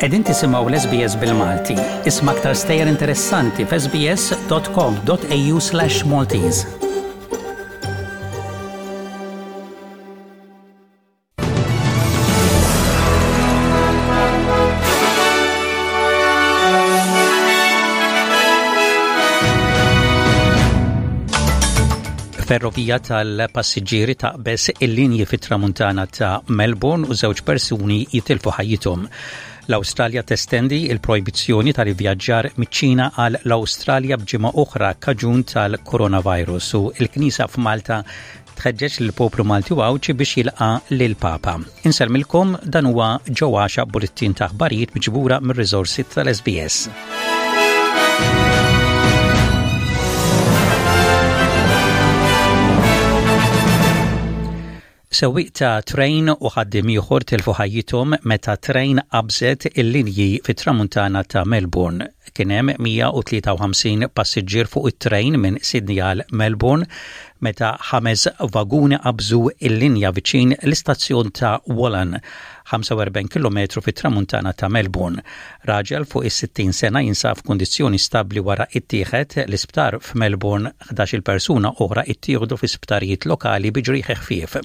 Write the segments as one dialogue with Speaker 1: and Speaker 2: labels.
Speaker 1: Qegħdin tisimgħu l-SBS bil-Malti. Isma' aktar stejjer interessanti f'sbs.com.au/Maltese. Ferrovija tal-passiġġieri taqbeż il-linji fit-tramuntana ta' Melbourne u żewġ persuni jitilfu ħajjithom. L-Awstralja testendi il-projbizzjoni tal-ivvjaġġar miċ-Ċina għal l-Awstralja b'ġimgħa oħra kaġun tal-coronavirus u l-Knisja f'Malta tħeġġeġ lill-poplu Malti u Għawdxi biex jilqa' lill-Papa. Insellmilkom dan huwa ġo għaxa bullettin ta' aħbarijiet miġbura mir-riżorsi tal-SBS. Sewwieq ta' trejn u ħaddiem ieħor tilfu ħajjithom meta trejn qabżet il-linji fit-tramuntana ta' Melbourne. Kien hemm 153 passiġġier fuq it-trejn minn Sydney għal Melbourne meta ħames vaguni qabżu l-linja viċin l-istazzjon ta' Wallan, 45 kilometru fit-tramuntana ta' Melbourne. Raġel fuq is-60 sena jinsab f'kundizzjoni stabbli wara ittieħed l-isptar f'Melbourne 11-il persuna oħra ittieħdu fi sptarijiet lokali bi ġrieħi ħfief.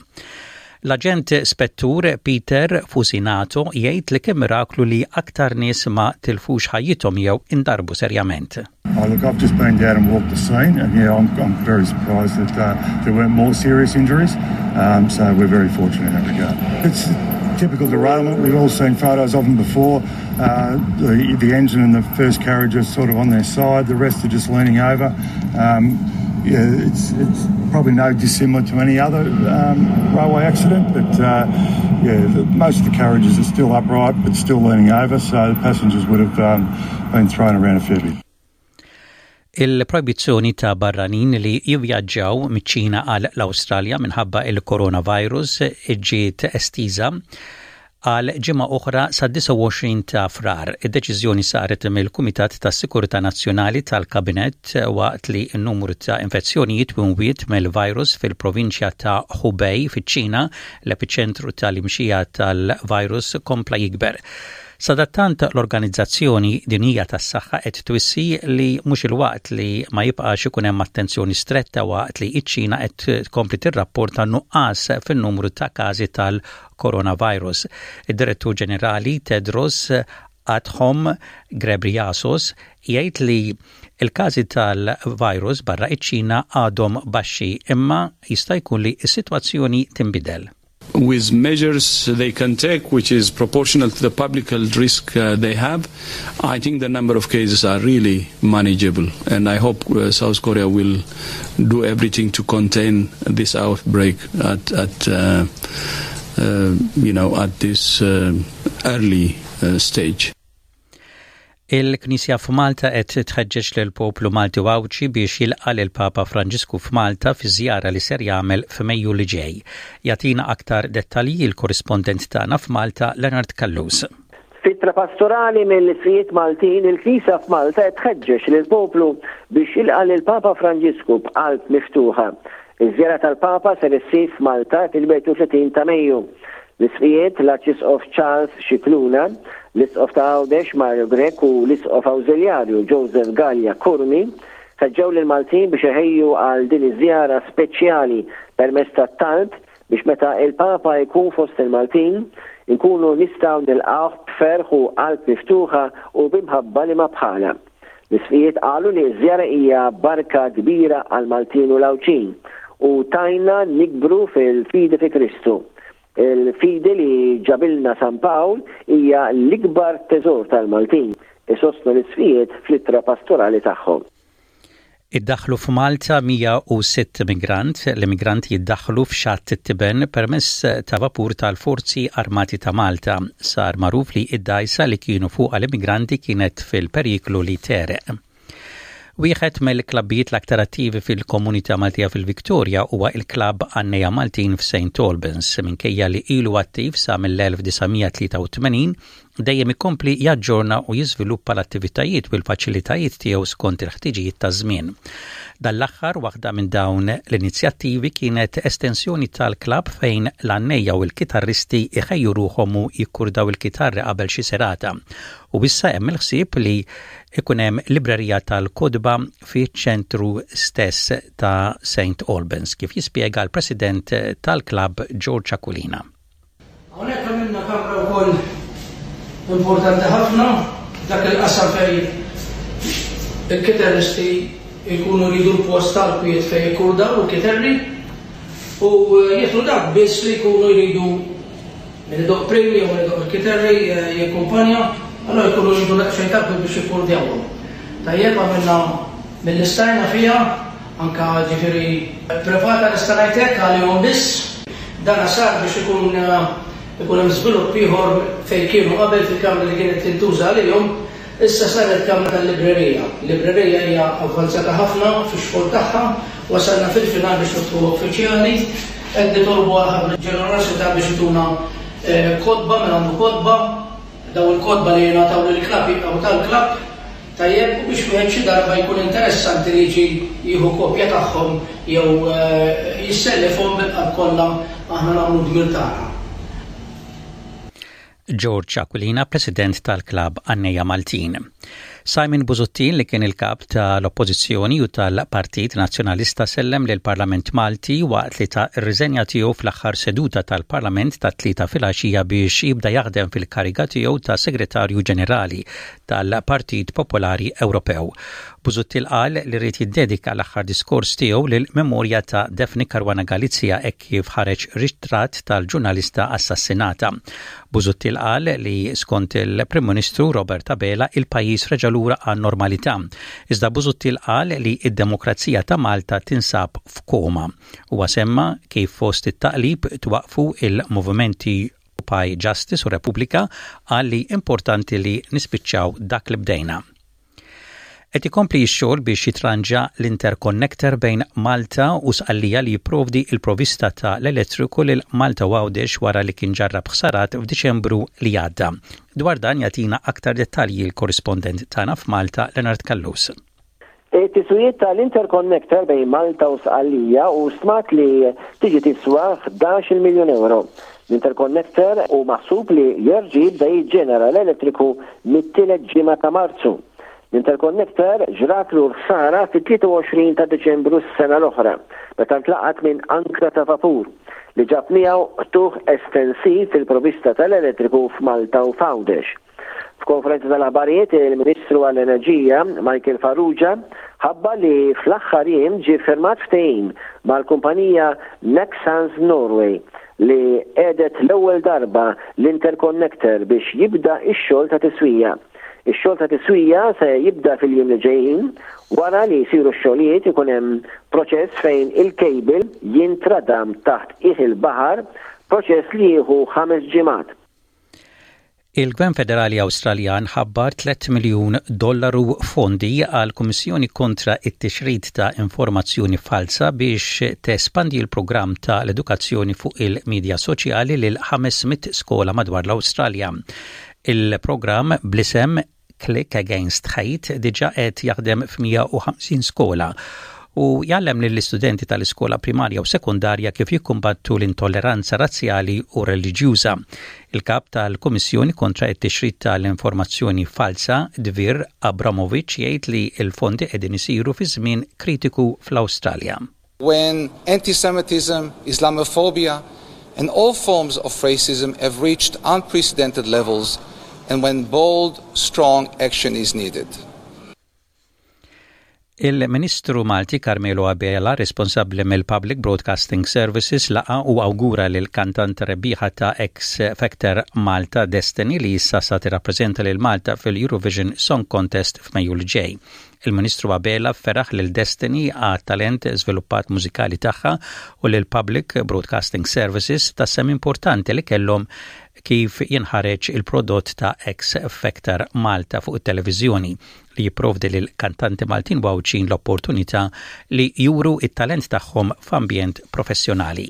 Speaker 1: L-aġent spettur Peter Fusinato jgħid li kien miraklu li aktar nies ma tilfux ħajjithom jew indarbu serjament.
Speaker 2: Oh, look, I've just been down and walked the scene, and yeah, I'm, I'm very surprised that uh, there weren't more serious injuries. Um, so we're very fortunate in that regard. It's typical derailment. We've all seen photos of them before. Uh, the, the engine and the first carriage are sort of on their side. The rest are just leaning over. Um, yeah, it's, it's probably no dissimilar to any other um, railway accident, but uh, yeah, the, most of the carriages are still upright but still leaning over, so the passengers would have um, been thrown around a fair bit.
Speaker 1: Il-projbizzjoni ta' barranin li jivvjaġġaw miċ-Ċina għal l-Awstralja minħabba il-coronavirus ġiet estiża għal ġimgħa oħra sad-29 ta' Frar. Id-deċiżjoni saret mill-Kumitat tas-Sikurtà Nazzjonali tal-Kabinett waqt li n-numru ta' infezzjonijiet u mwiet mill-virus fil-provinċja ta' Hubei fiċ-Ċina, l-epiċentru tal-imxija tal-virus, kompla jikber. Sadattant l-Organizzazzjoni Dinjija tas-Saħħa qed twissi li mhux il-waqt li ma jibqax ikun hemm attenzjoni stretta waqt li ċ-Ċina qed tkompli tirrapporta nuqqas fin-numru ta' każi tal-coronavirus. Id-Direttur Ġenerali Tedros Adhanom Ghebreyesus jgħid li l-każi tal-virus barra iċ-Ċina għadhom baxxi imma jista' jkun li s-sitwazzjoni tinbidel.
Speaker 3: With measures they can take, which is proportional to the public health risk uh, they have, I think the number of cases are really manageable. And I hope uh, South Korea will do everything to contain this outbreak at, at uh, uh, you know, at this uh, early uh, stage.
Speaker 1: Il-Knisja f'Malta qed tħeġġeġ lill-poplu Malti u Għawdxi biex jilqa' lill-Papa Franġisku f'Malta fi żjara li ser jagħmel f'Mejju li ġej. Jagħtina aktar dettalji l-korrispondent tagħna f'Malta Leonard Callus.
Speaker 4: F'ittra pastorali mill-Isqfijiet Maltin, il-Knisja f'Malta qed tħeġġeġ lill-poplu biex jilqa' lill-Papa Franġisku b'qalb miftuħa. Iż-żjara tal-Papa ser issir f'Malta fil-31 ta' Mejju. L-Isqfijiet, l-Arċisqof Charles Scicluna, l-Isqof ta' Għawdex Mario Grech u l-Isqof Awżiljarju Joseph Galea Curmi ħeġġew lill-Maltin biex iħejju għal din iż-żjara speċjali permezz tat-talb biex meta il-Papa jkun fost il-Maltin, inkunu nistgħu nilqgħuh b'ferħ u qalb miftuħa u b'imħabba li ma bħalha. L-Isqfijiet qalu li ż-żjara hija barka kbira għall-Maltin u l-Għawdxin u tgħinna nikbru fil-fidi fi Kristu. Il-fidi li ġabilna San Pawl hija l-ikbar teżor tal-Maltin, isostnu l-Isqfijiet fl-ittra pastorali tagħhom.
Speaker 1: Iddaħħlu f'Malta 106 migrant. L-immigranti jiddaħħlu f'Xatt it-Tiben permezz ta' vapur tal-Forzi Armati ta' Malta. Sar magħruf li id-dgħajsa li kienu fuqha l-immigranti kienet fil-periklu li tegħreq. Wieħed mill-klabbijiet l-aktar attivi fil-komunità Maltija fil-Victoria huwa il-klabb Għanneja Maltin f'St. Albans. Minkejja li ilu attiv sa mill-1983, dejjem ikompli jaġġorna u jiżviluppa l-attivitajiet u l-faċilitajiet tiegħu skont il-ħtiġijiet taż-żmien. Dan l-aħħar waħda minn dawn l-inizjattivi kienet estensjoni tal-klabb fejn l-għannejja u l-kitarristi jħejju ruħhom u jikkurdaw il-kitarri qabel xi serata. U issa hemm il-ħsieb li ikun hemm librerija tal-kotba fiċ-ċentru stess ta' St. Albans, kif jispjega l-President tal-klabb George Aquilina.
Speaker 5: Hawnhekk għamilna kamra wkoll importanti ħafna, dak il-qasam fejn il-kitarristi jkunu jridu l-post tal-kwiet fejn jikkurdaw il-kitarri u jidħlu dak biss li jkunu jridu min idoqq prim jew min idoqq il-kitarri jikkumpanja, allura jkunu jridu daqsxejn ta' kwiet biex jikkurdjawhom. Tajjeb għamilna milli stajna fiha, anke ġifieri privata nista' ngħid hekk għalihom biss. Dana sar biex ikun ikun hemm żvilupp ieħor fejn kienu qabel fil-kamra li kienet tintuża għalihom, issa saret kamra tal-librerija. Librerija hija avvanzata ħafna fix-xogħol tagħha, wasalna fil-final biex niftħuha uffiċjali. Qed nitolbu għal ħafna ġenerożità biex ituna kotba, min għandu kotba, dawn il-kotba li jingħataw lill-klabb jibqgħu tal-klabb. Tajjeb u biex wieħed xi darba jkun interessanti li jiġi jieħu kopja tagħhom jew jissellifhom bil-qalb kollha aħna nagħmlu d-dmir tagħna.
Speaker 1: George Aquilina, President tal-Klabb Għannejja Maltin. Simon Busuttil li kien il-kap tal-Oppożizzjoni u tal-Partit Nazzjonalista sellem lill-Parlament Malti waqt li ta r-riżenja tiegħu fl-aħħar seduta tal-Parlament tat-Tlieta filgħaxija biex jibda jaħdem fil-kariga tiegħu ta' Segretarju Ġenerali tal-Partit Popolari Ewropew. Busuttil qal li ried jiddedika l-aħħar diskors tiegħu lill-memorja ta' Daphne Caruana Galizia hekk kif ħareġ ritratt tal-ġurnalista assassinata. Busuttil qal li skont il-Prim Ministru Robert Abela il-pajjiż reġa' lura għan-normalità. Iżda Busuttil qal li d-demokrazija ta' Malta tinsab f'koma. Huwa semma kif fost it-taqlib twaqqfu il-movimenti Occupy Justice u Repubblika qal li importanti li nispiċċaw dak li bdejna. Qed ikompli x-xogħol biex jitranġa l-interconnector bejn Malta u Sqallija li jipprovdi l-provista ta' l-elettriku lil Malta u Għawdex wara li kien ġarrab ħsarat f'Diċembru li għadda. Dwar dan jagħtina aktar dettalji l-korrispondent tagħna f'Malta Leonard Callus.
Speaker 4: It-tiswijiet tal-interconnector bejn Malta u Sqallija hu stmat li tiġi tiswa 11-il miljun ewro. L-interconnector hu maħsub li jerġa' jibda jiġġenera l-elettriku mit-tielet ġimgħa ta' Marzu. L-interconnector ġratlu l-ħsara fit-23 ta' Diċembru s-sena l-oħra, meta ntlaqat minn ankra ta' vapur, li ġab miegħu qtugħ estensiv fil-provvista tal-elettriku f'Malta u f'Għawdex. F'konferenza tal-aħbarijiet, il-Ministru għall-Enerġija, Michael Farrugia, ħabbar li fl-aħħar jiem ġie ffirmat ftehim mal-kumpanija Nexans Norway li qiegħdet l-ewwel darba l-interconnector biex jibda x-xogħol ta' tiswija. Ix-xogħol ta' tiswija se jibda fil-jiem li ġejjin. Wara li jsiru x-xogħlijiet ikun hemm proċess fejn il-cable jintradam taħt qiegħ il-baħar, proċess li jieħu ħames ġimgħat.
Speaker 1: Il-Gvern Federali Awstraljan ħabbar 3 miljun dollaru fondi għal Kummissjoni kontra it-tixrid ta' informazzjoni falsa biex tespandi l-programm ta' l-edukazzjoni fuq il-midja soċjali lil 500 skola madwar l-Awstralja. Il-programm bl-isem Click Against Hate diġà qed jaħdem f'150 skola u jgħallem lill-istudenti tal-iskola primarja u sekondarja kif jikkumbattu l-intolleranza razzjali u reliġjuża. Il-kap tal-Kummissjoni kontra t-tixrid tal-informazzjoni falsa, Dvir Abramovich, jgħid li l-fondi qegħdin isiru fi żmien kritiku fl-Awstralja.
Speaker 6: When anti-Semitism, Islamophobia and all forms of racism have reached unprecedented levels and when bold, strong action is needed.
Speaker 1: Il-Ministru Malti Carmelo Abela, responsabbli mill-Public Broadcasting Services, laqa' u awgura lill-kantant rebbieħa ta' X Factor Malta Destiny li issa sa tirrappreżenta lil Malta fil-Eurovision Song Contest f'Mejju li ġej. Il-Ministru Abela feraħ lil Destiny għat-talent żviluppat mużikali tagħha u lil Public Broadcasting Services tas-sehem importanti li kellhom kif jinħareġ il-prodott ta' X Factor Malta fuq it-televiżjoni li jipprovdi lil kantanti Maltin u Għawdxin l-opportunità li juru t-talent tagħhom f'ambjent professjonali.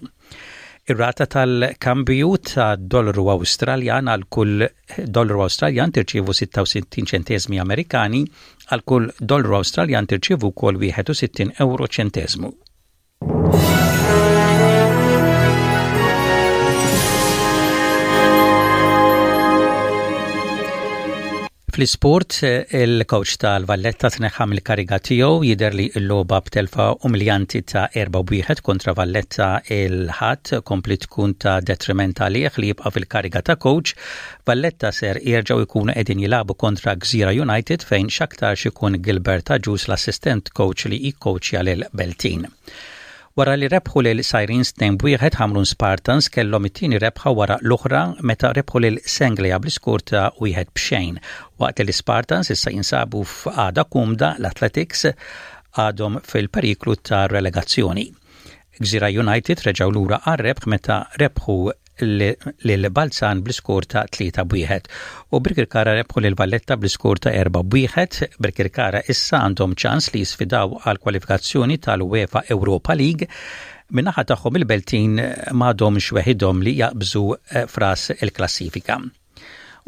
Speaker 1: Ir-rata tal-kambju ta' dollaru Awstraljan għal kull dollaru Awstraljan tirċievu 66 ċenteżmi Amerikani, għal kull dollaru Awstraljan tirċievu wkoll 61 ewro ċenteżmu. Fl-isport, il-coach tal-Valletta tneħħa mill-kariga tiegħu jidher li l-logħba b'telfa umiljanti ta' 4-1 kontra Valletta il-Ħadd kompli tkun ta' detriment għalih li jibqa' fil-kariga ta' coach. Valletta ser jerġgħu jkunu qegħdin jilagħbu kontra Gżira United fejn x'aktarx ikun Gilbert Agius l-assistent coach li jikkowċja lil Beltin. Wara li rebħu lil Sirens 2-1, Ħamrun Spartans kellhom it-tieni rebħa wara l-oħra meta rebħu lil Senglea bl-iskor ta' 1-0. Waqt li l-Ispartans issa jinsabu f'qagħda kumda, l-Athletics għadhom fil-periklu ta' relegazzjoni. Gżira United reġgħu lura għar-rebħ meta rebħu lil Balzan bl-iskor ta' 3 b'wieħed u Birkirkara rebħu lil Valletta bl-iskor ta' 4 b'wieħed. Birkirkara issa għandhom ċans li jisfidaw għal kwalifikazzjoni tal-UEFA Europa League. Min-naħa tagħhom il-Beltin m'għadhomx weħidhom li jaqbżu eh, fras il-klassifika.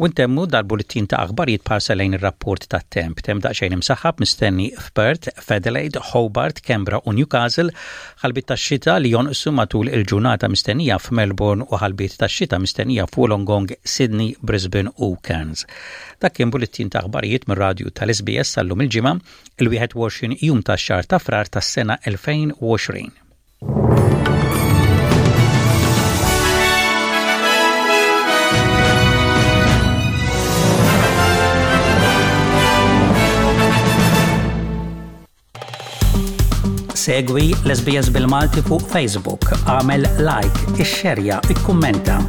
Speaker 1: U ntemmu dal-bullettin ta' aħbarijiet b'ħarsa lejn ir-rapport tat-temp. Temp daqsxejn imsaħħab mistenni f'Perth, f'Adelaide, Hobart, Canberra u Newcastle, ħalbiet tax-xita li jonqsu matul il-ġurnata mistennija f'Melbourne u ħalbiet tax-xita mistennija f'Wollongong, Sydney, Brisbane u Cairns. Dak kien bullettin ta' aħbarijiet mir-radju tal-SBS sal-lum il-Ġimgħa, il-21 jum tax-xahar ta' Frar tas-sena 2020. Segwi l-SBS bil-Malti fuq Facebook, għamel like, ixxerja, ikkummenta.